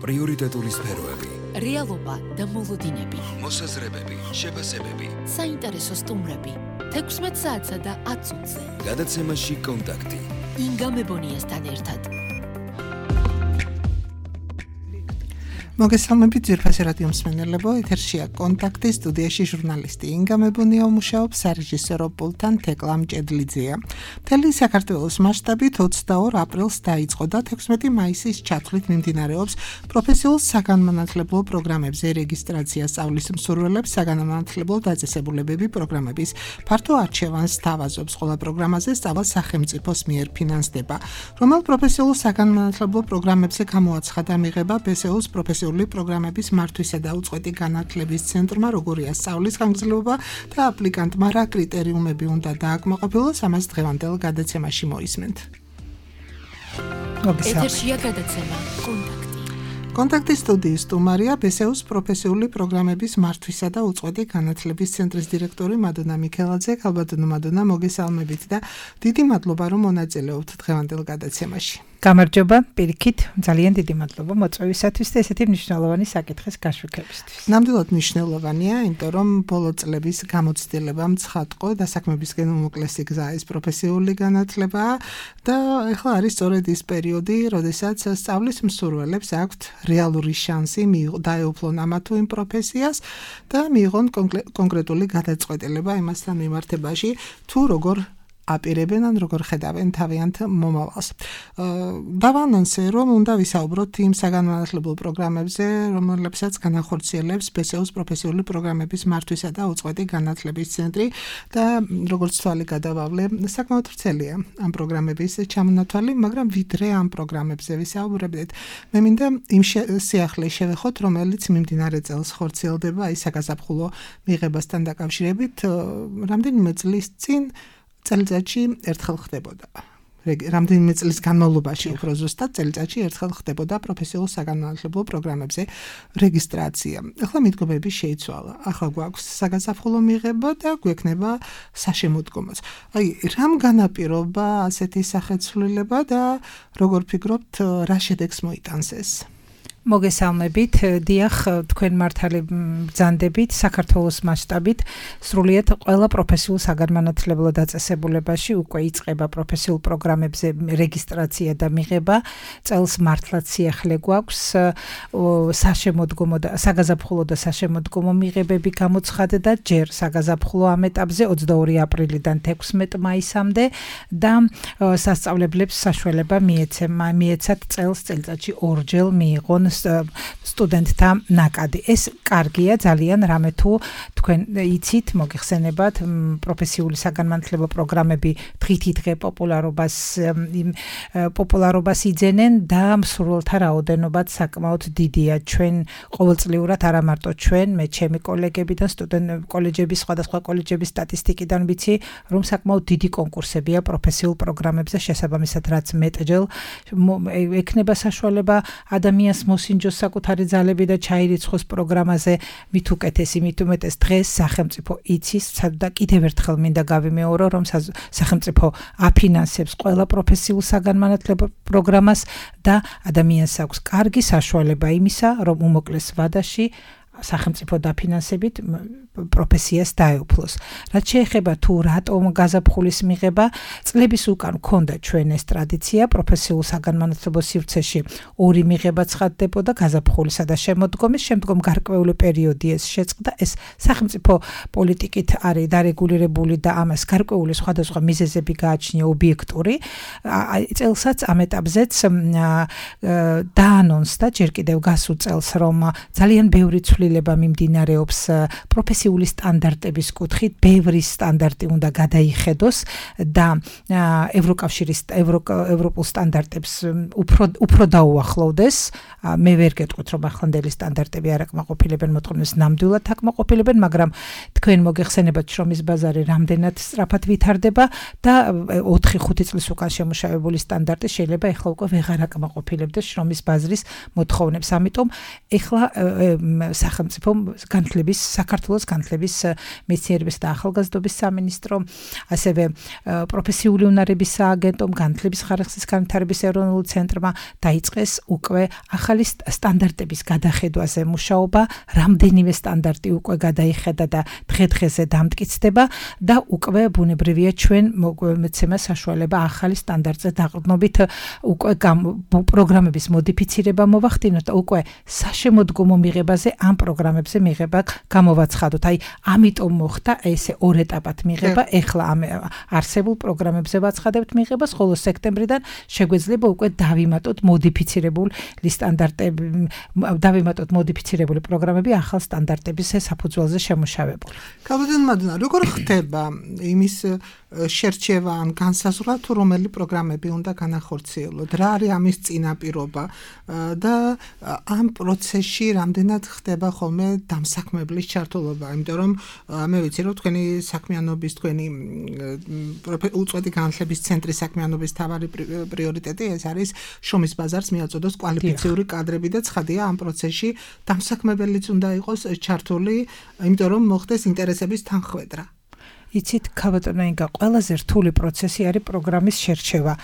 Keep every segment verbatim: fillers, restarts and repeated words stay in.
პრიორიტეტული სფეროები, რეალობა და მოლოდინები, მოსაზრებები, შეფასებები, საინტერესო სტუმრები, თექვსმეტ საათსა და ათ წუთზე. გადაცემაში კონტაქტი. ინგა მებონიასთან ერთად. მოგესალმებით ძვირფასი რადიო მსმენელებო, ეთერშია კონტაქტი, სტუდიაში ჟურნალისტი ინგა მებონია მუშაობს, სარეჟისორო პულტთან თეკლა მჭედლიძეა. მთელი საქართველოს მასშტაბით ოცდაორ აპრილს დაიწყო და თექვსმეტი მაისის ჩათვლით მიმდინარეობს პროფესიულ საგანმანათლებლო პროგრამებზე რეგისტრაცია სწავლის მსურველებს საგანმანათლებლო დაწესებულებები პროგრამების ფართო არჩევანს თავაზობს. ყველა პროგრამაზე სწავლა სახელმწიფოს მიერ ფინანსდება. რომელ პროფესიულ საგანმანათლებლო პროგრამებზე გამოაცხადა მიღება ბესეუს პროფესიული პროგრამების მართვისა და უწყვეტი განათლების ცენტრმა, როგორია სწავლის ხანგრძლივობა და აპლიკანტმა რა კრიტერიუმები უნდა დააკმაყოფილოს, ამას დღევანდელ გადაცემაში მოისმენთ. ეთერშია გადაცემა კონტაქტი. კონტაქტის სტუდიის სტუმარია ბესეუს პროფესიული პროგრამების მართვისა და უწყვეტი განათლების ცენტრის დირექტორი მადონა მიქელაძე. ქალბატონო მადონა, მოგესალმებით და დიდი მადლობა, რომ მონაწილეობთ დღევანდელ გადაცემაში. გამარჯობა, პირიქით, ძალიან დიდი მადლობა მოწვევისათვის და ესეთი მნიშვნელოვანი საკითხის გაშვიქვებისთვის. ნამდვილად მნიშვნელოვანია, იმიტომ რომ ბოლო წლების გამოცდილებამ ცხადყო და საქმებისკენ უმოკლესი გზა ეს პროფესიული განათლებაა და ეხლა არის სწორედ ის პერიოდი, როდესაც სწავლის მსურველებს აქვთ რეალური შანსი დაეუფლონ ამა თუ იმ პროფესიას და მიიღონ კონკრეტული გადაწყვეტილება იმასთან მიმართებაში, თუ როგორ აპირებენ ან როგორ ხედავენ თავიანთ მომავალს. დავანონსე, რომ უნდა ვისაუბროთ იმ საგანმანათლებლო პროგრამებზე, რომლებსაც განახორციელებს ბესეუს პროფესიული პროგრამების მართვისა და უწყვეტი განათლების ცენტრი და როგორც თვალი გადავავლე, საკმაოდ ვრცელია ამ პროგრამების ჩამონათვალი, მაგრამ ვიდრე ამ პროგრამებზე ვისაუბრებდეთ, მე მინდა იმ სიახლეს შევეხოთ, რომელიც მიმდინარე წელს ხორციელდება აი საგაზაფხულო მიღებასთან დაკავშირებით, რამდენიმე წლის წინ წელიწადში ერთხელ ხდებოდა. რამდენიმე წლის განმავლობაში უფრო ზუსტად წელიწადში ერთხელ ხდებოდა პროფესიულ საგანმანათლებლო პროგრამებზე რეგისტრაცია. ახლა მიდგომები შეიცვალა. ახლა გვაქვს საგაზაფხულო მიღება და გვექნება საშემოდგომოც. აი, რამ განაპირობა ასეთი სახეცვლილება და როგორ ფიქრობთ, რა შედეგს მოიტანს ეს? მოგესალმებით, დიახ, თქვენ მართალი ბრძანდებით, საქართველოს მასშტაბით სრულიად ყველა პროფესიულ საგანმანათლებლო დაწესებულებაში უკვე იწყება პროფესიულ პროგრამებზე რეგისტრაცია და მიღება. წელს მართლაც სიახლე გვაქვს საშემოდგომო და საგაზაფხულო და საშემოდგომო მიღებები გამოცხადდა ჯერ საგაზაფხულო ამ ეტაპზე ოცდაორი აპრილიდან თექვსმეტ მაისამდე და სასწავლებლებს საშუალება მიეცათ წელს წელიწადში ორჯერ მიიღონ სტუდენტთა ნაკადი. ეს კარგია ძალიან, რამე თუ თქვენ იცით, მოგიხსენებათ, პროფესიული საგანმანათლებლო პროგრამები დღითი დღე პოპულარობას პოპულარობას იძენენ და მსურველთა რაოდენობაც საკმაოდ დიდია. ჩვენ ყოველწლიურად არა მარტო ჩვენ, მე ჩემი კოლეგები და სტუდენტ კოლეჯების, სხვადასხვა კოლეჯების სტატისტიკიდან ვიცი, რომ საკმაოდ დიდი კონკურსებია პროფესიულ პროგრამებზე, შესაბამისად, რაც მეტჯერ ექნება საშუალება ადამიანს მოსინჯოს საკუთარი ძალები და ჩაირიცხოს პროგრამაზე, მით უკეთესი, მით უმეტეს დღეს სახელმწიფო იცის და კიდევ ერთხელ მინდა გავიმეორო, რომ სახელმწიფო აფინანსებს ყველა პროფესიულ საგანმანათლებლო პროგრამას და ადამიანს აქვს კარგი საშუალება იმისა, რომ უმოკლეს ვადაში სახელმწიფო დაფინანსებით პროფესიას დაეუფლოს. რაც შეეხება თუ რატომ გაზაფხულის მიღება, წლების უკან ჰქონდა ჩვენ ეს ტრადიცია, პროფესიულ საგანმანათლებლო სივრცეში ორი მიღება ცხადდებოდა, გაზაფხულისა და შემოდგომის, შემდგომ გარკვეული პერიოდი ეს შეწყდა. ეს სახელმწიფო პოლიტიკით არის დარეგულირებული და ამას გარკვეული სხვადასხვა მიზეზები გააჩნია ობიექტური. წელსაც ამ ეტაპზეც დაანონსდა ჯერ კიდევ გასულ წელს, რომ ძალიან ბევრი ცვლილება მიმდინარეობს პროფესიული სტანდარტების კუთხით, ბევრი სტანდარტი უნდა გადაიხედოს და ევროკავშირის ევროპულ სტანდარტებს უფრო უფრო დაუახლოვდეს. მე ვერ გეტყვით, რომ ახლანდელი სტანდარტები არ აკმაყოფილებენ მოთხოვნას, ნამდვილად აკმაყოფილებენ, მაგრამ თქვენ მოგეხსენებათ, შრომის ბაზარი რამდენად სწრაფად ვითარდება და ოთხი ხუთი წლის უკან შემუშავებული სტანდარტი შეიძლება ეხლა უკვე ვეღარ აკმაყოფილებდეს შრომის ბაზრის მოთხოვნებს. ამიტომ ეხლა სახელმწიფო განათლების საქართველოს განათლების მეცნიერების და ახალგაზრდობის სამინისტრო, ასევე პროფესიული უნარების სააგენტომ, განათლების ხარისხის განვითარების ეროვნულ ცენტრმა დაიწყეს უკვე ახალი ახალი სტანდარტების გადახედვაზე მუშაობა, რამდენიმე სტანდარტი უკვე გადაიხედა და დღე-დღეზე დამტკიცდება და უკვე ბუნებრივია ჩვენ მოგცემა საშუალება ახალი სტანდარტზე დაყრდნობით უკვე პროგრამების მოდიფიცირება მოვახდინოთ და უკვე საშემოდგომო მიღებაზე ამ პროგრამებზე მიღება გამოვაცხადოთ. აი, ამიტომ მოხდა ესე ორ ეტაპად მიღება. ეხლა ამ არსებულ პროგრამებზე ვაცხადებთ მიღებას, ხოლო სექტემბრიდან შეგვეძლება უკვე დავიმატოთ მოდიფიცირებული სტანდარტები, დავიმატოთ მოდიფიცირებული პროგრამები ახალ სტანდარტების საფუძველზე შემუშავებული. კაბადან მადნა, როგორ ხდება იმის შერჩევა ან განსაზღვრა თუ რომელი პროგრამები უნდა განახორციელოთ, რა არის ამის წინაპირობა და ამ პროცესში რამდენად ხდება ხოლმე დამსაქმებლის ჩართულობა, იმიტომ რომ მე ვიცი რომ თქვენი საქმიანობის, თქვენი უწყვეტი განათლების ცენტრის საქმიანობის თავარი პრიორიტეტი ეს არის შრომის ბაზარს მიაწოდოს კვალიფიციური კადრები და ცხადია ამ პროცესში დამსაქმებელიც უნდა იყოს ჩართული, იმიტომ რომ მოხდეს ინტერესების თანხვედრა. იცით, ქაბატონო ინგა, ყველაზე რთული პროცესი არის პროგრამის შერჩევა.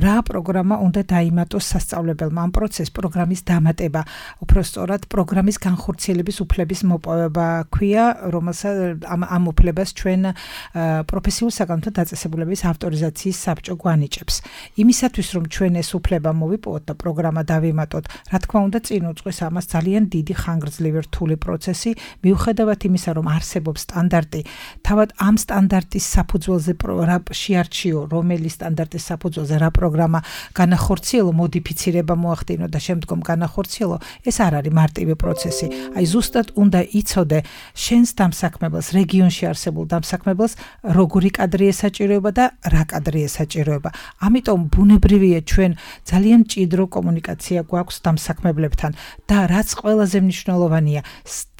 რა პროგრამა უნდა დაიმატოს სასწავლებელმა? ამ პროცესს პროგრამის დამატება, უფრო სწორად პროგრამის განხორციელების უფლების მოპოვება ქვია, რომელსაც ამ ამ უფლებას ჩვენ პროფესიულ საგანმანათლებლო დაწესებულების ავტორიზაციის საბჭო გვანიჭებს. იმისათვის, რომ ჩვენ ეს უფლება მოვიპოვოთ და პროგრამა დავიმატოთ, რა თქმა უნდა, წინ უძღვის ამას ძალიან დიდი ხანგრძლივი რთული პროცესი, მიუხედავად იმისა, რომ არსებობს სტანდარტი, თავად ამ სტანდარტის საფუძველზე რა შეარჩიო, რომელი სტანდარტის საფუძველზე რა პროგრამა განახორციელო, მოდიფიცირება მოახდინო და შემდგომ განახორციელო, ეს არ არის მარტივი პროცესი. აი ზუსტად უნდა იცოდე შენს დამსაქმებელს, რეგიონში არსებულ დამსაქმებელს, როგორი კადრი ესაჭიროება და რა კადრი ესაჭიროება. ამიტომ ბუნებრივია ჩვენ ძალიან მჭიდრო კომუნიკაცია გვაქვს დამსაქმებლებთან და რაც ყველაზე მნიშვნელოვანია,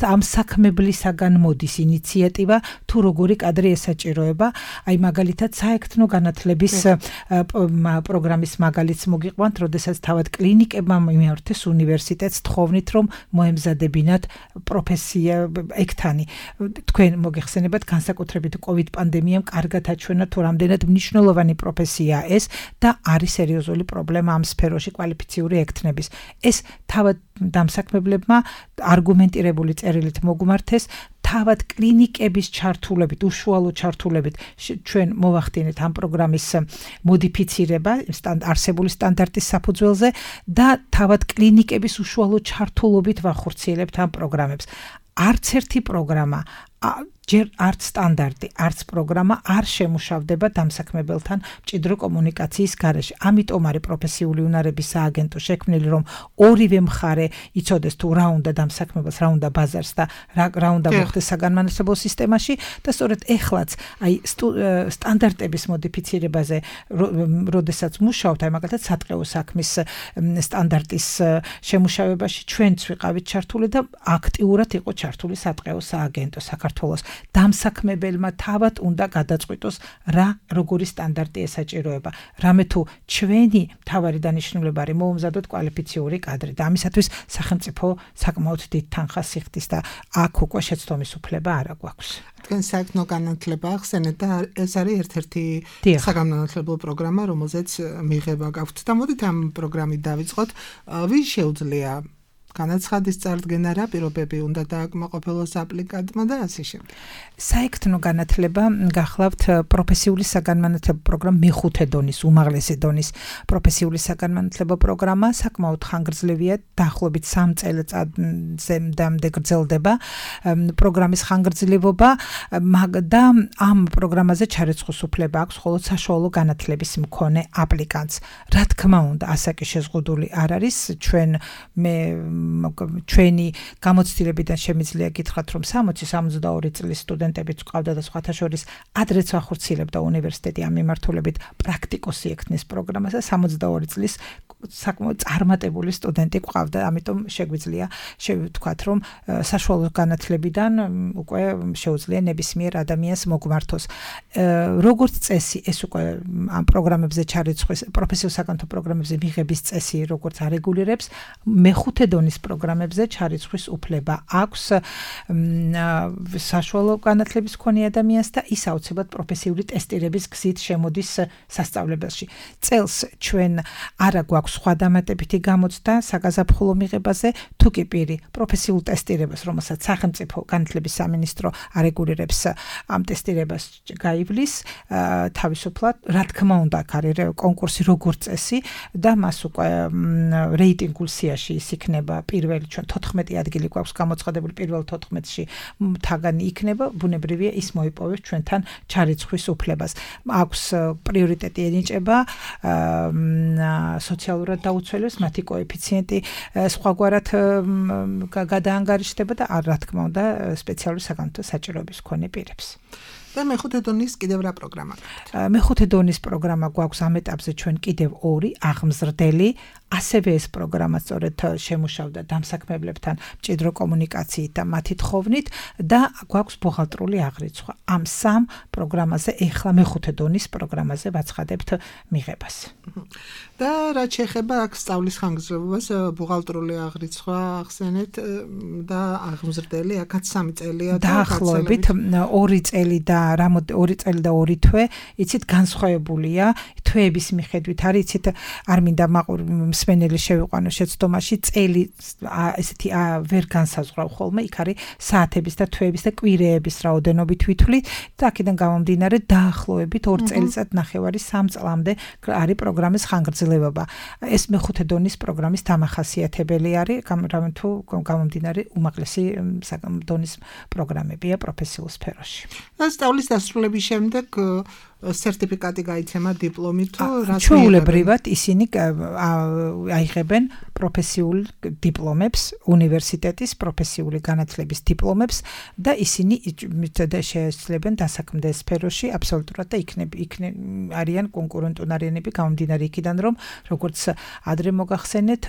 დამსაქმებლისაგან მოდის ინიციატივა თუ როგორი კადრი ესაჭიროება, აი მაგალითად საექთნო განათლების პროგრამის მაგალითს მოგიყვანთ, როდესაც თავად კლინიკებმა მიმართეს უნივერსიტეტს თხოვნით, რომ მოემზადებინათ პროფესია ექთანი. თქვენ მოგეხსენებათ, განსაკუთრებით კოვიდ პანდემიამ კარგად აჩვენა თუ რამდენად მნიშვნელოვანი პროფესიაა ეს და არის სერიოზული პრობლემა ამ სფეროში კვალიფიციური ექთნების. ეს თავად დამსაქმებლებმა არგუმენტირებული წერილით მოგმართეს, თავად კლინიკების ჩართულებით, უშუალო ჩართულებით ჩვენ მოვახდინეთ ამ პროგრამის მოდიფიცირება არსებული სტანდარტის საფუძველზე და თავად კლინიკების უშუალო ჩართულობით ვახორციელებთ ამ პროგრამებს. არც ერთი პროგრამა ჯერ არც სტანდარტი, არც პროგრამა არ შემუშავდება დამსაქმებელთან მჭიდრო კომუნიკაციის გარეშე. ამიტომ არის პროფესიული უნარების სააგენტო შექმნილი, რომ ორივე მხარე იცოდეს თუ რა უნდა დამსაქმებელს, რა უნდა ბაზარს და რა, რა უნდა მოხდეს საგანმანათლებლო სისტემაში და სწორედ ეხლაც აი სტანდარტების მოდიფიცირებაზე, როდესაც მუშაობთ, აი მაგალითად სატყეო საქმის სტანდარტის შემუშავებაში ჩვენც ვიყავით ჩართული და აქტიურად იყო ჩართული სატყეო სააგენტო საქართველოს. დამსაქმებელმა თავად უნდა გადაწყვიტოს რა როგორი სტანდარტი ესაჭიროება. რამე თუ ჩვენი მთავარი დანიშნულება არის მოუმზადოთ კვალიფიციური კადრი და ამისათვის სახელმწიფო საკმაოდ დიდ თანხას იხდის და აქ უკვე შეცდომის უფლება არ აქვს. თქვენ საექთნო განათლება ახსენეთ და ეს არის ერთ-ერთი საგანმანათლებლო პროგრამა, რომელზეც მიღება გაქვთ და მოდით ამ პროგრამით დავიწყოთ. ვის შეუძლია განაცხადის წარდგენა, რა პირობები უნდა დააკმაყოფილოს აპლიკანტმა და ასე შემდეგ. საექთნო განათლება გახლავთ პროფესიული საგანმანათლებლო პროგრამა მეხუთე დონის, უმაღლესი დონის პროფესიული საგანმანათლებლო პროგრამა, საკმაოდ ხანგრძლივია, დაახლოებით სამ წელიწადზე მდამდე გრძელდება პროგრამის ხანგრძლივობა და ამ პროგრამაზე ჩარიცხვის უფლება აქვს მხოლოდ საშუალო განათლების მქონე აპლიკანტს. რა თქმა უნდა, ასაკი შეზღუდული არ არის, ჩვენ მე ჩვენი გამოცდილებიდან შემიძლია გითხრათ, რომ სამოცი სამოცდაორი წლის სტუდენტებიც ყავდა და სხვათა შორის ადრეც ვახორციელებდა უნივერსიტეტი ამ მიმართულებით პრაქტიკოსი ექთნის პროგრამას და სამოცდაორი წლის საკმაოდ წარმატებული სტუდენტი ყავდა, ამიტომ შეგვიძლია შევთქვათ, რომ საშუალო განათლებიდან უკვე შეუძლია ნებისმიერ ადამიანს მოგმართოს. როგორც წესი, ეს უკვე ამ პროგრამებზე ჩარიცხვის, პროფესიულ საკანონმდებლო პროგრამებზე მიღების წესი როგორც არეგულირებს, მეხუთე დონის პროგრამებზე ჩარიცხვის უფლება აქვს საშუალო განათლების მქონე ადამიანს და ის აუცილებლად პროფესიული ტესტირების გზით შემოდის სასწავლებელში. წელს ჩვენ არა გვაქვს გვაქვს სხვა დამატებითი გამოცდა საგაზაფხულო მიღებაზე, თუ კი პირი პროფესიულ ტესტირებას, რომელსაც სახელმწიფო განათლების სამინისტრო არეგულირებს, ამ ტესტირებას გაივლის, თავისუფლად, რა თქმა უნდა, აქ არის კონკურსი როგორც წესი და მას უკვე რეიტინგულ სიაში ის იქნება პირველი, ჩვენ თოთხმეტი ადგილი გვაქვს გამოცხადებული პირველ თოთხმეტში თაგანი იქნება, ბუნებრივია ის მოიპოვებს ჩვენთან ჩარიცხვის უფლებას. აქვს პრიორიტეტი ენიჭება სოციალურად დაუცველებს, მათი კოეფიციენტი სხვაგვარად გადაანგარიშდება და რა თქმა უნდა სპეციალური საგანმანათლებლო საჭიროების მქონე პირებს. და მეხუთე დონის კიდევ რა პროგრამა გაქვთ? მეხუთე დონის პროგრამა გვაქვს ამ ეტაპზე ჩვენ კიდევ ორი აღმზრდელი, ასევე ეს პროგრამა სწორედ შემუშავდა დამსაქმებლებთან მჭიდრო კომუნიკაციით და მათი თხოვნით და გვაქვს ბუღალტრული აღრიცხვა. ამ სამ პროგრამაზე ეხლა მეხუთე დონის პროგრამაზე ვაცხადებთ მიღებას. და რაც შეეხება აქ სწავლის ხანგრძლივობას, ბუღალტრული აღრიცხვა ახსენეთ და აღმზრდელი, აქაც სამი წელია და დაახლოებით ორი წელი და ორი წელი და ორი თვე, იცით განსხვავებულია თვეების მიხედვით არის, იცით არ მინდა მსმენელი შევიყვანო შეცდომაში, წელი ესეთი ვერ განსაზღვრავ ხოლმე, იქ არის საათების და თვეების და კვირეების რაოდენობით ვითვლით და აქედან გამომდინარე დაახლოებით ორ წელიწად ნახევარი სამ წლამდე არის პროგრამის ხანგრძლივობა. ეს მეხუთე დონის პროგრამის დამახასიათებელი არის, რამე თუ გამომდინარე უმაღლესი დონის პროგრამებია პროფესიულ სფეროში. სწავლის დასრულების შემდეგ სერტიფიკატი გაიცემა, დიპლომი თუ რა? ჩვეულებრივად ისინი აიღებენ პროფესიულ დიპლომებს, უნივერსიტეტის პროფესიული განათლების დიპლომებს და ისინი შეესწრებენ დასაქმდე სფეროში აბსოლუტურად და იქნებ არიან კონკურენტუნარიანები გამომდინარე იქიდან, რომ როგორც ადრე მოგახსენეთ,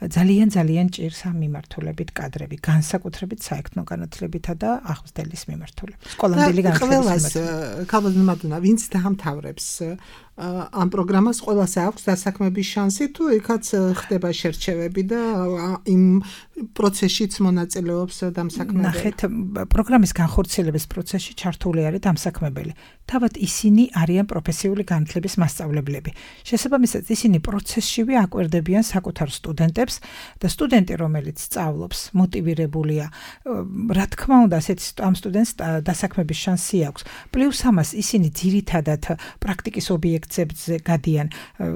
ძალიან ძალიან ჭირს ამ მიმართულებით კადრები, განსაკუთრებით საექნო განათლებითა და აღმზრდელის მიმართულებით. სკოლამდელი განათლების მიმართულებით. ვინც დაამთავრებს ამ პროგრამას, ყველას აქვს დასაქმების შანსი, თუ იქაც ხდება შერჩევები და იმ პროცესშიც მონაწილეობს დამსაქმებელი? ნახეთ, პროგრამის განხორციელების პროცესში ჩართული არის დამსაქმებელი. თავად ისინი არიან პროფესიული განათლების მასწავლებლები. შესაბამისად, ისინი პროცესშივე აკვირდებიან საკუთარ სტუდენტებს და სტუდენტი, რომელიც სწავლობს, მოტივირებულია, რა თქმა უნდა, ასეთ ამ სტუდენტს დასაქმების შანსი აქვს. პლუს ამას ისინი ძირითადად პრაქტიკის ობიექტებზე გადიან.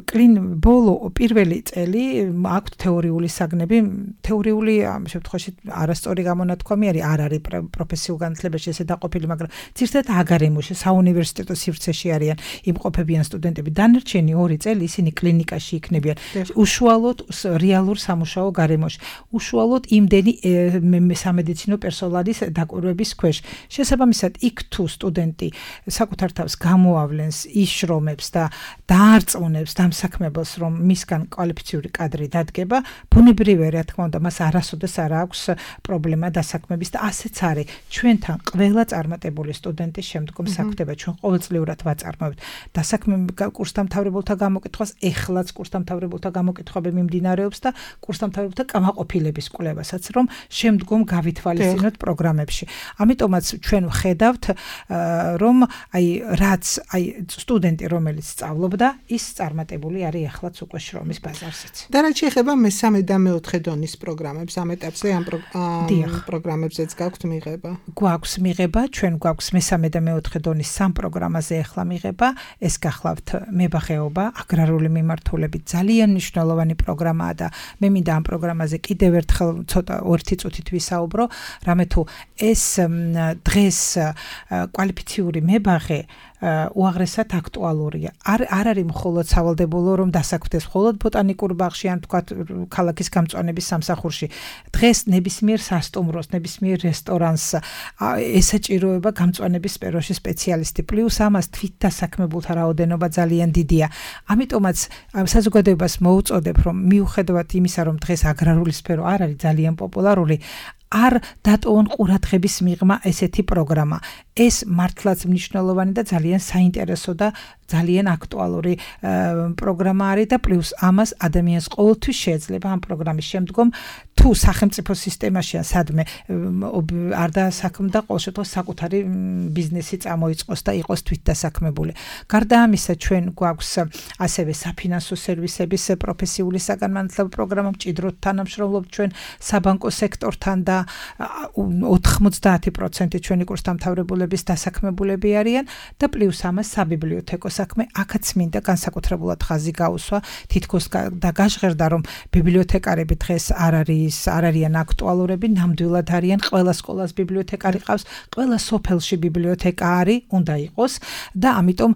კლინ ბოლო პირველი წელი აქვთ თეორიული საგნები, თეორიული ამ შემთხვევაში არასწორი გამონათქვამი არის, არ არის პროფესიულ განათლებაში ესე დაყოფილი, მაგრამ ძირითადად აგარემოში, საუნივერსიტეტო სივრცეში არიან იმყოფებიან სტუდენტები. დანარჩენი ორი წელი ისინი კლინიკაში იქნებიან, უშუალოდ რეალურ სამუშაო გარემოში, უშუალოდ იმდენი სამედიცინო პერსონალის დაკვირვების ქვეშ. შესაბამისად, იქ თუ სტუდენტი საკუთარ თავს გამოავლენს, იშრომებს და დაარწმუნებს დამსაქმებელს, რომ მისგან კვალიფიციური კადრი დადგება, ბუნებრივია, რა თქმა უნდა, მას არასოდეს არ აქვს პრობლემა დასაქმების და ასეც არის. ჩვენთან ყველა წარმატებული სტუდენტის შემდგომ საქმდება, ჩვენ ყოველწლიურად ვაწარმოებთ დასაქმების კურსდამთავრებულთა გამოკითხვას, ეხლაც კურსდამთავრებულთა გამოკითხვები მიმდინარეობს და კურსდამთავრებულთა კმაყოფილების კვლევასაც, რომ შემდგომ გავითვალისწინოთ პროგრამებში. ამიტომაც ჩვენ ვხედავთ, რომ აი რაც აი სტუდენტი, რომელიც სწავლობდა, ის წარმატებული არის ეხლაც უკვე შრომის ბაზარზეც. და რაც შეეხება მესამე და მეოთხე დონის პროგრამებს, ამ ეტაპზე ამ პროგრამებზეც გაქვთ მიღება? გვაქვს მიღება, ჩვენ გვაქვს მესამე და მეოთხე დონის სამ პროგრამაზე ეხლა მიღება. ეს გახლავთ მებაღეობა, აგრარული მიმართულებით, ძალიან მნიშვნელოვანი პროგრამაა და მე მინდა ამ პროგრამაზე კიდევ ერთხელ ცოტა ერთი წუთით ვისაუბრო, რამე თუ ეს დღეს კვალიფიციური მებაღე უაღრესად აქტუალურია. არ არ არის მხოლოდ სავალდებულო, რომ დასაქმდეს მხოლოდ ბოტანიკურ ბაღში ან თქვათ ქალაქის გამწვანების სამსახურში. დღეს ნებისმიერ სასტუმროს, ნებისმიერ რესტორანს ესაჭიროება გამწვანების სფეროში სპეციალისტი. პლუს ამას თვით დასაქმებულთა რაოდენობა ძალიან დიდია. ამიტომაც საზოგადოებას მოუწოდებ, რომ მიუხედავად იმისა, რომ დღეს აგრარული სფერო არ არის ძალიან პოპულარული, არ დატოვონ ყურადღების მიღმა ესეთი პროგრამა. ეს მართლაც მნიშვნელოვანი და ძალიან საინტერესო და ძალიან აქტუალური პროგრამა არის და პლუს ამას ადამიანს ყოველთვის შეეძლება ამ პროგრამის შემდგომ თუ სახელმწიფო სისტემაშია სადმე არ დასაქმდა ყოველ შემთხვევაში საკუთარი ბიზნესი წამოიწყოს და იყოს თვითდასაქმებული. გარდა ამისა ჩვენ გვაქვს ასევე საფინანსო სერვისების პროფესიული საგანმანათლებლო პროგრამა, მჭიდროდ თანამშრომლობთ ჩვენ საბანკო სექტორთან და ოთხმოცდაათი პროცენტი ჩვენი კურსდამთავრებულების დასაქმებულები არიან და პლუს ამას საბიბლიოთეკო საქმე აქაც მინდა განსაკუთრებულად ხაზი გაუსვა, თითქოს და გაჟღერდა რომ ბიბლიოთეკარები დღეს არ არის არ არიან აქტუალურები, ნამდვილად არიან, ყველა სკოლას ბიბლიოთეკარი ყავს, ყველა სოფელში ბიბლიოთეკარი უნდა იყოს და ამიტომ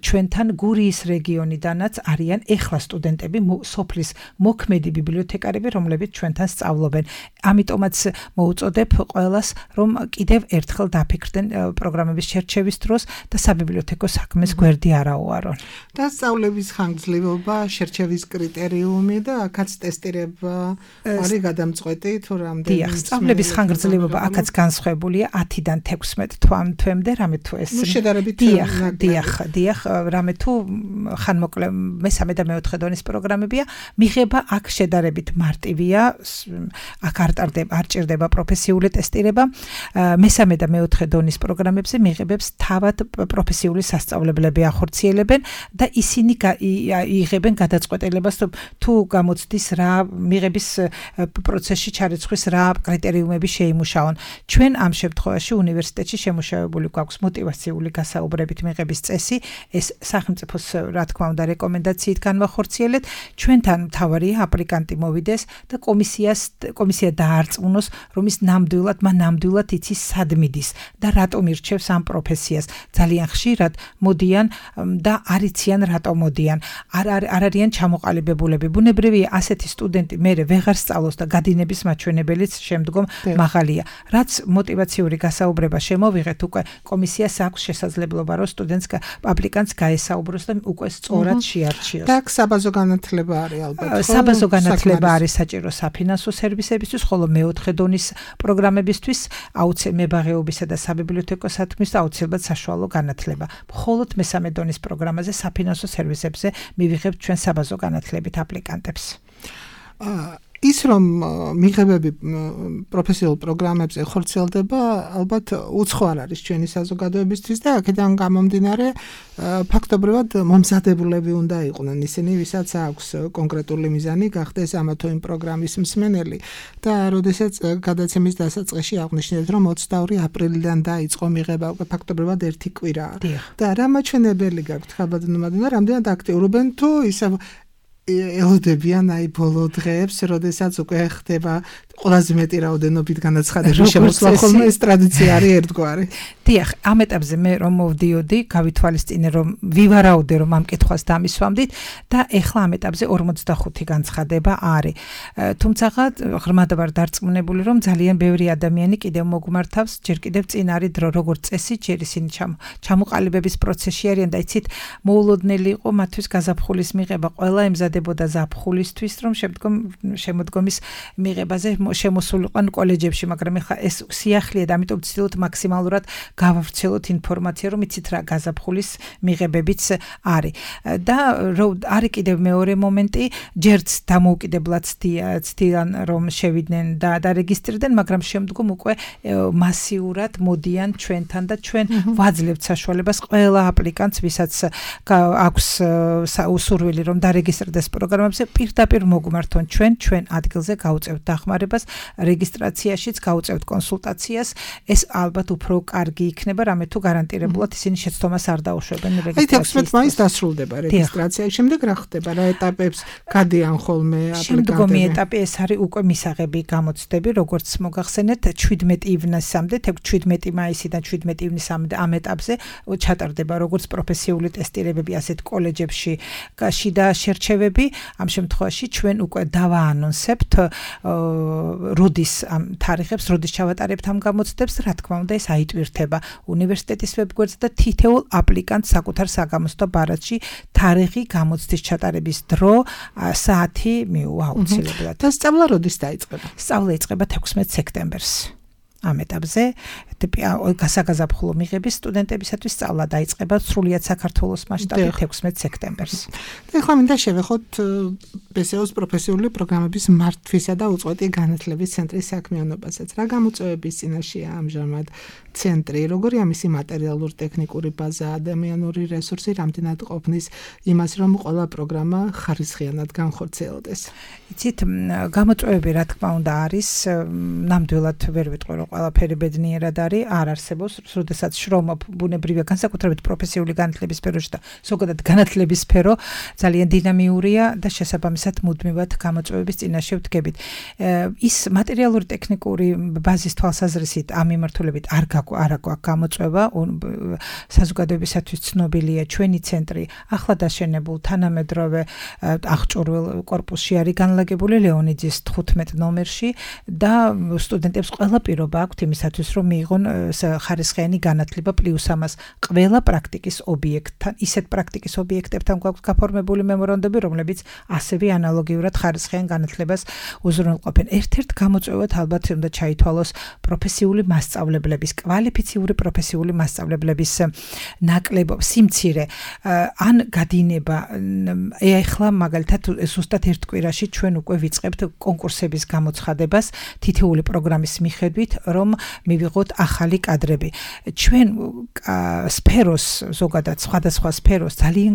ჩვენთან გურიის რეგიონიდანაც არიან ეხლა სტუდენტები, სოფლის მოქმედი ბიბლიოთეკარები, რომლებიც ჩვენთან სწავლობენ. ამიტომაც მოუწოდებ ყველას, რომ კიდევ ერთხელ დაფიქრდნენ პროგრამების შერჩევის დროს და საბიბლიოთეკო საქმეს გვერდი არ აუარონ. და სწავლების ხანგრძლივობა, შერჩევის კრიტერიუმი და აქაც ტესტირება არის გადამწყვეტი თუ რამდენი. დიახ, სწავლების ხანგრძლივობა აქაც განსხვავებულია ათიდან თექვსმეტ თვამდე, რამე თუ ეს შედარებით დიახ, დიახ, დიახ, რამე თუ ხანმოკლე მესამე და მეოთხე დონის პროგრამებია, მიღება აქ შედარებით მარტივია, აქ არ ტარდება, არ ჭირდება პროფესიული ტესტირება. მესამე და მეოთხე დონის პროგრამებზე მიღებებს თავად პროფესიული სასწავლებლები ახორციელებენ და ისინი იღებენ გადაწყვეტილებას, თუ გამოცდის რა მიღების პროცესში ჩარიცხვის რა კრიტერიუმები შეიმუშაონ. ჩვენ ამ შემთხვევაში უნივერსიტეტში შემუშავებული გვაქვს მოტივაციული გასაუბრებით მიღების წესი, ეს სახელმწიფოს რა თქმა უნდა რეკომენდაციით განვახორციელეთ. ჩვენთან მთავარია აპლიკანტი მოვიდეს და კომისიას კომისია დაარწმუნოს, რომ ის ნამდვილად მან ნამდვილად იცის სად მიდის და რატომ ირჩევს ამ პროფესიას. ძალიან ხშირად მოდიან და არ იციან რატომ მოდიან. არ არ არიან ჩამოყალიბებულები. ბუნებრივია ასეთი სტუდენტი მერე ვეღარ სწავლობს და გადინების მაჩვენებელიც შემდგომ მაღალია. რაც მოტივაციური გასაუბრება შემოვიღეთ, უკვე კომისიას აქვს შესაძლებლობა, რომ სტუდენტს აპლიკანტს გაესაუბროს და უკვე სწორად შეარჩიოს. და საბაზო განათლება არის ალბათ. საბაზო განათლება არის საჭირო საფინანსო სერვისებისთვის, ხოლო მეოთხე დონის პროგრამებისთვის აუცილებლად მებაღეობისა და საბიბლიოთეკო საქმის აუცილებლად საშუალო განათლება. მხოლოდ მესამე დონის პროგრამაზე საფინანსო სერვისებზე მივიღებთ ჩვენ საბაზო განათლებით აპლიკანტებს. ის რომ მიღებები პროფესიულ პროგრამებზე ხორციელდება, ალბათ უცხო არ არის ჩვენი საზოგადოებისთვის და აქედან გამომდინარე ფაქტობრივად მომზადებულები უნდა იყვნენ ისინი, ვისაც აქვს კონკრეტული მიზანი გახდეს ამა თუ იმ პროგრამის მსმენელი და როდესაც გადაცემის დასაწყისში აღნიშნეთ, რომ ოცდაორი აპრილიდან დაიწყო მიღება, უკვე ფაქტობრივად ერთი კვირაა. და რა მაჩვენებელი გაქვთ ხალბადნომადნა, რამდენად აქტიურობენ თუ ისე ელოდებიან აი ბოლო დღეებს, როდესაც უკვე ხდება ყველაზე მეტი რაოდენობით განაცხადების შემოსვლა, ხოლმე ეს ტრადიცია არის ერთგვარი. დიახ, ამ ეტაპზე მე რომ მოვდიოდი, გავითვალისწინე რომ ვივარაუდე რომ ამ კითხვას დამისვამდით და ეხლა ამ ეტაპზე ორმოცდახუთი განცხადება არის. თუმცა ღრმად ვარ დარწმუნებული რომ ძალიან ბევრი ადამიანი კიდევ მოგმართავს, ჯერ კიდევ წინ არის დრო, როგორც წესი, ჯერ ისინი ჩამოყალიბების პროცესში არიან და იცით, მოულოდნელი იყო მათთვის გაზაფხულის მიღება, ყველა ემზადებოდა ზაფხულისთვის, რომ შემდგომ შემოდგომის მიღებაზე შემოსულიყვან კოლეჯებში, მაგრამ ეხლა ეს სიახლეა და ამიტომ ვცდილობთ მაქსიმალურად გავავრცელოთ ინფორმაცია, რომ იცით რა გაზაფხულის მიღებებიც არის. და არის კიდევ მეორე მომენტი, ჯერც დამოუკიდებლად ცდიან რომ შევიდნენ და დარეგისტრირდნენ, მაგრამ შემდგომ უკვე მასიურად მოდიან ჩვენთან და ჩვენ ვაძლევთ საშუალებას ყველა აპლიკანტს, ვისაც აქვს სურვილი რომ დარეგისტრდეს პროგრამებზე, პირდაპირ მოგმართონ ჩვენ, ჩვენ ადგილზე გავუწევთ დახმარებას, რეგისტრაციაშიც გავუწევთ კონსულტაციას, ეს ალბათ უფრო კარგი იქნება, რამე თუ გარანტირებულად ისინი შეცდომას არ დაუშვებენ რეგისტრაციას. აი თექვსმეტ მაისს დასრულდება რეგისტრაცია, შემდეგ რა ხდება, რა ეტაპებს გადიან ხოლმე აპლიკანტები? შემდგომი ეტაპი ეს არის უკვე მისაღები გამოცდები, როგორც მოგახსენეთ, შვიდმეტი ივნისამდე, შვიდმეტი მაისიდან შვიდმეტი ივნისამდე ამ ეტაპზე ჩატარდება როგორც პროფესიული ტესტირებები, ასეთ კოლეჯებში შიდა შერჩევები. ამ შემთხვევაში ჩვენ უკვე დავაანონსებთ როდის ამ თარიღებს, როდის ჩავატარებთ ამ გამოცდებს, რა თქმა უნდა ეს აიტვირთება უნივერსიტეტის ვებგვერდზე და თითოეულ აპლიკანტს საკუთარ საგამოცდო ბარათში თარიღი, გამოცდის ჩატარების დრო, საათი მიუვა აუცილებლად. და სწავლა როდის დაიწყება? სწავლა იწყება თექვსმეტ სექტემბერს. ამ ეტაპზე გასაგაზაფხულო მიღების სტუდენტებისათვის სწავლა დაიწყება სრულიად საქართველოს მასშტაბით თექვსმეტ სექტემბერს. ეხლა მინდა შევეხოთ ბე ეს ე-ს პროფესიული პროგრამების მართვისა და უწყვეტი განათლების ცენტრის საქმიანობასაც. რა გამოწვევების წინაშეა ამჟამად ცენტრი, როგორია მისი მატერიალურ-ტექნიკური ბაზა, ადამიანური რესურსი, რამდენად ყოფნის იმას, რომ ყველა პროგრამა ხარისხიანად განხორციელდეს? იცით, გამოწვევები რა თქმა უნდა არის, ნამდვილად ვერ ვიტყვი რომ ყველაფერი ბედნიერად არის, არ არსებობს, როდესაც შრომა ბუნებრივია, განსაკუთრებით პროფესიული განათლების სფეროში და ზოგადად განათლების სფერო ძალიან დინამიურია და შესაბამისად მუდმივად გამოწვევების წინაშე ვდგებით. ის მატერიალური ტექნიკური ბაზის თვალსაზრისით ამ მიმართულებით არ არ აქვს გამოწვევა, საზოგადოებისათვის ცნობილია ჩვენი ცენტრი ახლა დაშენებულ თანამედროვე აღჭურვილ კორპუსში არის განლაგებული ლეონიძის თხუთმეტ ნომერში და სტუდენტებს ყველა პირობა აქვთ იმისათვის რომ მიიღონ ხარისხიანი განათლება პლუს ამას ყველა პრაქტიკის ობიექტთან, ისეთ პრაქტიკის ობიექტებთან გვაქვს გაფორმებული მემორანდუმები, რომლებიც ასევე ანალოგიურად ხარისხიან განათლებას უზრუნველყოფენ. ერთ-ერთ გამოწვევად ალბათ უნდა ჩაითვალოს პროფესიული მასწავლებლების, კვალიფიციური პროფესიული მასწავლებლების ნაკლებობა, სიმცირე, ან გადინება. ეხლა მაგალითად ზუსტად ერთ კვირაში ჩვენ უკვე ვიწყებთ კონკურსების გამოცხადებას თითოეული პროგრამის მიხედვით, რომ მივიღოთ ახალი კადრები. ჩვენ სფეროს, ზოგადად სხვადასხვა სფეროს ძალიან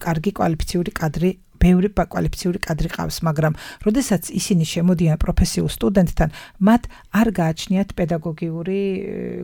კარგი კვალიფიციური კადრი ბევრი კვალიფიციური კადრი ყავს, მაგრამ როდესაც ისინი შემოდიან პროფესიულ სტუდენტთან, მათ არ გააჩნიათ პედაგოგიური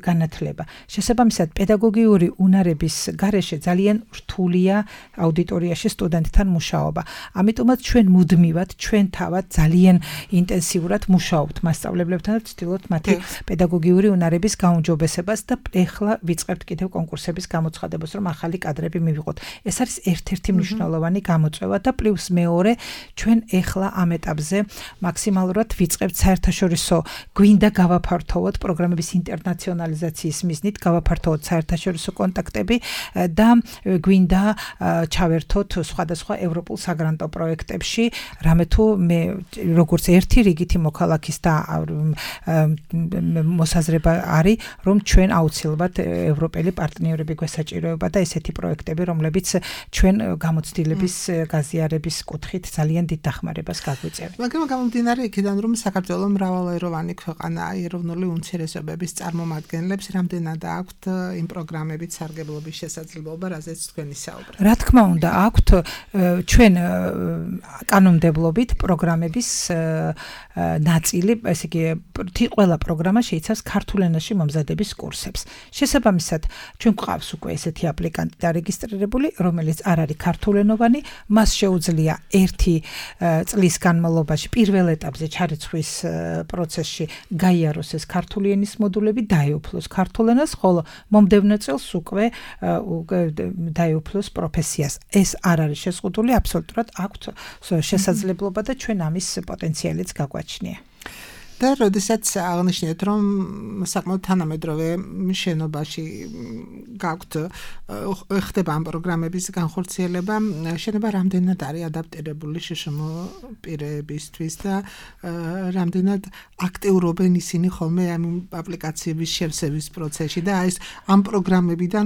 განათლება. შესაბამისად, პედაგოგიური უნარების გარეშე ძალიან რთულია აუდიტორიაში სტუდენტთან მუშაობა. ამიტომაც ჩვენ მუდმივად, ჩვენ თავად ძალიან ინტენსიურად მუშაობთ მასწავლებლებთან და ვცდილობთ მათი პედაგოგიური უნარების გაუმჯობესებას და ეხლა ვიწყებთ კიდევ კონკურსების გამოცხადებას, რომ ახალი კადრები მივიღოთ. ეს არის ერთ-ერთი მნიშვნელოვანი გამოწვევა და პლუს მეორე, ჩვენ ეხლა ამ ეტაპზე მაქსიმალურად ვიწყებთ საერთაშორისო, გვინდა გავაფართოვოთ პროგრამების ინტერნაციონალიზაციის მიზნით, გავაფართოვოთ საერთაშორისო კონტაქტები და გვინდა ჩავერთოთ სხვადასხვა ევროპულ საგრანტო პროექტებში, რამე თუ მე როგორც ერთი რიგითი მოქალაქის და მოსაზრება არის, რომ ჩვენ აუცილებლად ევროპელი პარტნიორები გვესაჭიროება და ესეთი პროექტები, რომლებიც ჩვენ გამოცდილების გაზიარებას კუთხით ძალიან დიდ დახმარებას გაგვიწევენ. მაგრამ გამომდინარე იქიდან, რომ საქართველოს მრავალეროვანი ქვეყანაა, ეროვნული უმცირესობების წარმომადგენლებს რამდენად აქვთ იმ პროგრამებით სარგებლობის შესაძლებლობა, რაზეც თქვენ ისაუბრეთ? რა თქმა უნდა, აქვთ ჩვენ კანონმდებლობით პროგრამების ნაწილი, ესე იგი, ყველა პროგრამა შეიცავს ქართულ ენაში მომზადების კურსებს. შესაბამისად, ჩვენ გვყავს უკვე ესეთი აპლიკანტი დარეგისტრირებული, რომელიც არ არის ქართულენოვანი, მას შეუძლია ერთი წლის განმავლობაში პირველ ეტაპზე ჩარიცხვის პროცესში გაიაროს ეს ქართული ენის მოდულები, დაეუფლოს ქართულ ენას, ხოლო მომდევნო წელს უკვე დაეუფლოს პროფესიას. ეს არ არის შეზღუდული, აბსოლუტურად აქვთ შესაძლებლობა და ჩვენ ამის პოტენციალიც გაგვაჩნია. და როდესაც აღნიშნეთ, რომ საკმაოდ თანამედროვე შენობაში გაქვთ ხდება ამ პროგრამების განხორციელება, შენობა რამდენად არის ადაპტირებული შშმ პირებისთვის და რამდენად აქტიურობენ ისინი ხოლმე ამ აპლიკაციების შევსების პროცესში და ეს ამ პროგრამებიდან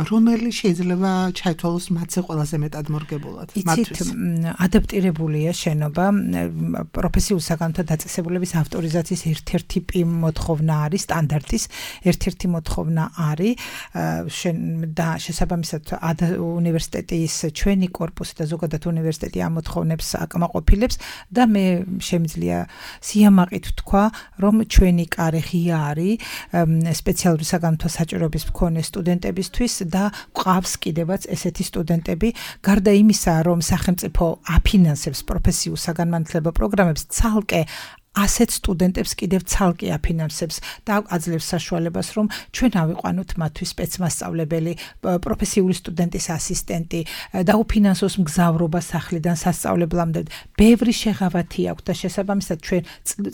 რომელი შეიძლება ჩაითვალოს მათზე ყველაზე მეტად მორგებულად? იცით, ადაპტირებულია შენობა პროფესიულ საგანთა დაწესებულების ავტორიზაციის ერთ-ერთი მოთხოვნა არის, სტანდარტის ერთ-ერთი მოთხოვნა არის და შესაბამისად უნივერსიტეტის ჩვენი კორპუსი და ზოგადად უნივერსიტეტი ამ მოთხოვნებს აკმაყოფილებს და მე შემიძლია სიამაყით ვთქვა, რომ ჩვენი კარი ღია არის სპეციალური საგანთა საჭიროების მქონე სტუდენტებისთვის და გვყავს კიდევაც ესეთი სტუდენტები, გარდა იმისა, რომ სახელმწიფო აფინანსებს პროფესიულ საგანმანათლებლო პროგრამებს, ცალკე ასეთ სტუდენტებს კიდევ ცალკე აფინანსებს და აძლევს საშუალებას, რომ ჩვენ ავიყვანოთ მათთვის სპეცმასწავლებელი, პროფესიული სტუდენტის ასისტენტი, დაუფინანსოს მგზავრობა სახლიდან სასწავლებლამდე. ბევრი შეღავათი აქვს და შესაბამისად ჩვენ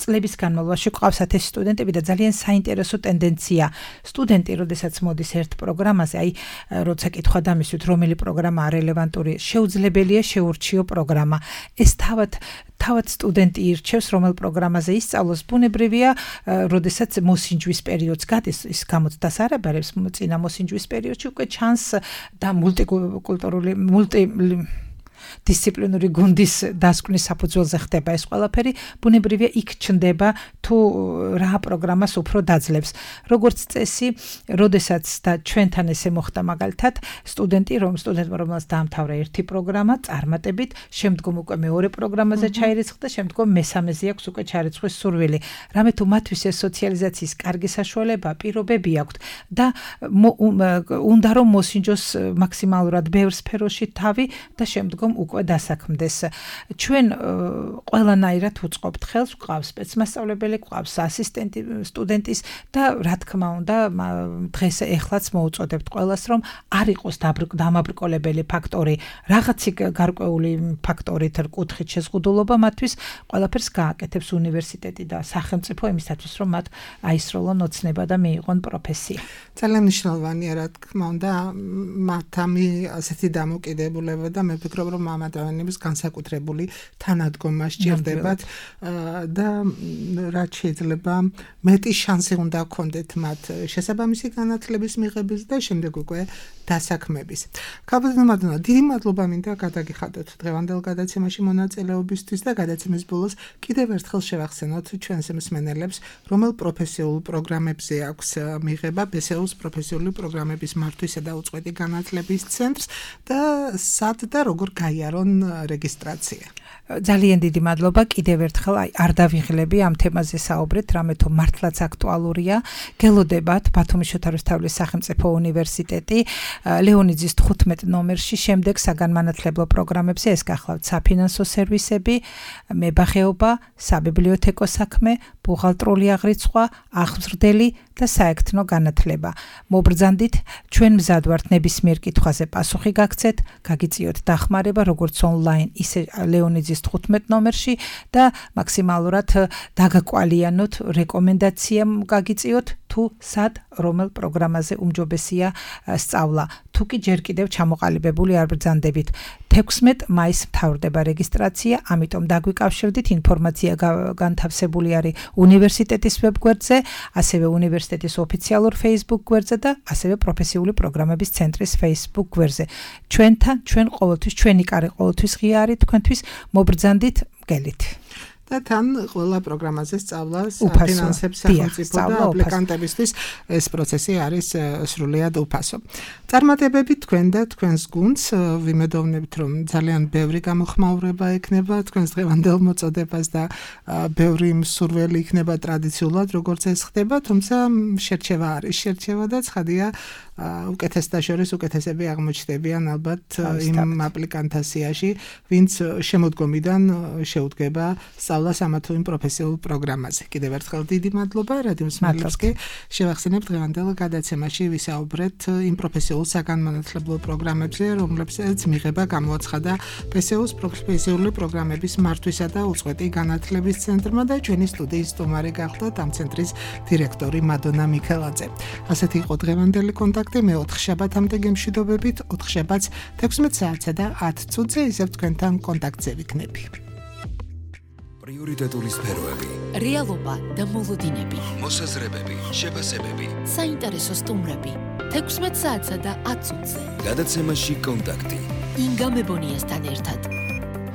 წლების განმავლობაში გვყავს ასეთი სტუდენტები და ძალიან საინტერესო ტენდენცია. სტუდენტი, როდესაც მოდის ერთ პროგრამაზე, აი, როცა კითხვა დამისვით, რომელი პროგრამაა რელევანტური, შეუძლებელია შეურჩიო პროგრამა. ეს თავად თავად სტუდენტი ირჩევს, რომელ პროგრამაზე ისწავლოს. ბუნებრივია, როდესაც მოსინჯვის პერიოდს გადის, ის გამოცდას არ აბარებს, წინა მოსინჯვის პერიოდში უკვე ჩანს და მულტიკულტურული მულტი დისციპლინური გუნდის დასკვნის საფუძველზე ხდება ეს ყველაფერი, ბუნებრივია იქ ჩნდება თუ რა პროგრამას უფრო დაძლევს. როგორც წესი, როდესაც და ჩვენთან ესე მოხდა მაგალითად, სტუდენტი რომ სტუდენტმა რომელსაც დაამთავრა ერთი პროგრამა, წარმატებით, შემდგომ უკვე მეორე პროგრამაზე ჩაირიცხა, შემდგომ მესამეზე აქვს უკვე ჩარიცხვის სურვილი. რამე თუ მათთვის ეს სოციალიზაციის კარგი საშუალება, პირობები აქვთ და უნდა რომ მოსინჯოს მაქსიმალურად ბევრ სფეროში თავი და შემდგომ უკვე დასაქმდეს. ჩვენ ყველანაირად უწყობთ ხელს, გვყავს სპეცმასწავლებელი, გვყავს ასისტენტი სტუდენტის და რა თქმა უნდა, დღეს ეხლაც მოუწოდებთ ყველას, რომ არ იყოს დამაბრკოლებელი ფაქტორი, რაღაცი გარკვეული ფაქტორით რკუთხით შეზღუდულობა მათთვის, ყველაფერს გააკეთებს უნივერსიტეტი და სახელმწიფო იმისათვის, რომ მათ აისროლონ ოცნება და მიიღონ პროფესია. ძალიან მნიშვნელოვანია, რა თქმა უნდა, მათ ამი ასეთი დამოკიდებულება და მე ვფიქრობ, რომ ამ ადამიანებს განსაკუთრებული თანადგომა სჭირდებათ და რაც შეიძლება მეტი შანსი უნდა ჰქონდეთ მათ შესაბამისი განათლების მიღების და შემდეგ უკვე დასაქმების. ქაბადნომადონა, დიდი მადლობა მინდა გადაგიხადოთ დღევანდელ გადაცემაში მონაწილეობისთვის და გადაცემის ბოლოს კიდევ ერთხელ შევახსენოთ ჩვენს მსმენელებს, რომელ პროფესიულ პროგრამებზე აქვს მიღება ბე ეს იუს პროფესიული პროგრამების მართვისა და უწყვეტი განათლების ცენტრს და სად და როგორ გაიარონ რეგისტრაცია. ძალიან დიდი მადლობა კიდევ ერთხელ აი არ დავიღლები ამ თემაზე საუბრეთ, რამე თუ მართლაც აქტუალურია. გელოდებათ ბათუმის შოთა რუსთაველის სახელმწიფო უნივერსიტეტი ლეონიძის თხუთმეტ ნომერში შემდეგ საგანმანათლებლო პროგრამებზე ეს გახლავთ საფინანსო სერვისები, მებაღეობა, საბიბლიოთეკო საქმე, ბუღალტრული აღრიცხვა, აღმზრდელი და საექთნო განათლება. მობრძანდით, ჩვენ მზად ვართ ნებისმიერ კითხვაზე პასუხი გაგცეთ, გაგიწიოთ დახმარება როგორც ონლაინ, ისე ლეონიძის თხუთმეტ ნომერში და მაქსიმალურად დაგაკვალიანოთ, რეკომენდაცია გაგიწიოთ თუ სად რომელ პროგრამაზე უმჯობესია სწავლა. თუ კი ჯერ კიდევ ჩამოყალიბებული არ ბრძანდებით. თექვსმეტ მაისს მთავრდება რეგისტრაცია, ამიტომ დაგვიკავშირდით, ინფორმაცია განთავსებული არის უნივერსიტეტის ვებგვერდზე, ასევე უნივერსიტეტის ოფიციალურ Facebook გვერდზე და ასევე პროფესიული პროგრამების ცენტრის Facebook გვერდზე. ჩვენთან, ჩვენ ყოველთვის, ჩვენი კარი ყოველთვის ღია არის თქვენთვის, მობრძანდით, მგელით. და თან ყველა პროგრამაზე სწავლას ფინანსებს სახელმწიფო და აპლიკანტებისთვის ეს პროცესი არის სრულიად უფასო. წარმატებები თქვენ და თქვენს გუნდს, ვიმედოვნებთ, რომ ძალიან ბევრი გამოხმაურება ექნება თქვენს დღევანდელ მოწოდებას და ბევრი მსურველი იქნება ტრადიციულად, როგორც ეს ხდება, თუმცა შერჩევა არის შერჩევა და ცხადია უკეთესთა შორის უკეთესები აღმოჩნდებიან ალბათ იმ აპლიკანტაციაში, ვინც შემოდგომიდან შეუდგება სწავლას ამა თუ იმ პროფესიულ პროგრამაზე. კიდევ ერთხელ დიდი მადლობა რადიო მსმენელებს კი შევახსენებთ დღევანდელ გადაცემაში ვისაუბრეთ იმ პროფესიულ საგანმანათლებლო პროგრამებზე, რომლებსაც მიღება გამოაცხადა ბე ეს იუს პროფესიული პროგრამების მართვისა და უწყვეტი განათლების ცენტრმა და ჩვენი სტუდიის სტუმარი გახლდათ ამ ცენტრის დირექტორი მადონა მიქელაძე. ასეთი იყო დღევანდელი კონტაქტი, მე ოთხ შაბათამდე გემშვიდობებით, ოთხ შაბათს თექვსმეტ საათსა და ათ წუთზე ისევ თქვენთან კონტაქტზე ვიქნები. პრიორიტეტული სფეროები, რეალობა და მოლოდინები, მოსაზრებები, შეფასებები, საინტერესო სტუმრები, თექვსმეტ საათსა და ათ წუთზე. გადაცემაში კონტაქტი. ინგა მებონიასთან ერთად.